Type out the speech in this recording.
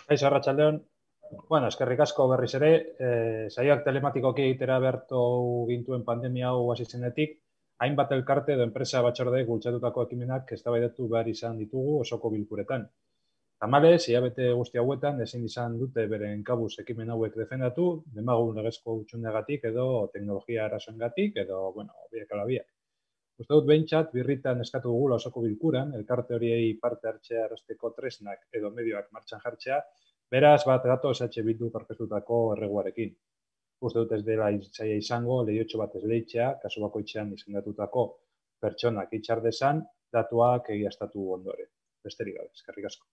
Kaixo, arratsaldeon. Bueno, eskerrik asko berriz ere, saioak telematikoki egitera behartu gintuen pandemia hau hasi zenetik, hainbat elkarte edo enpresa batzordeek bultzatutako ekimenak eztabaidatu behar izan ditugu osoko bilkuretan. Tamalez, hilabete guzti hauetan ezin izan dute beren kabuz ekimen hauek defendatu, demagun legezko hutsunegatik edo teknologia arazoengatik edo, biak ala biak. Uste dut behintzat, birritan eskatu dugula osoko bilkuran, elkarte horiei parte hartzea erosteko tresnak edo medioak martxan jartzea, beraz bat gatoz Bilduk aurkeztutako erreguarekin. Uste dut ez dela zaila izango, lehiotxo bat esleitzea, kasu bakoitzean izendatutako pertsonak itxar dezan, datuak egiaztatu ondoren. Besterik gabe, eskerrik asko.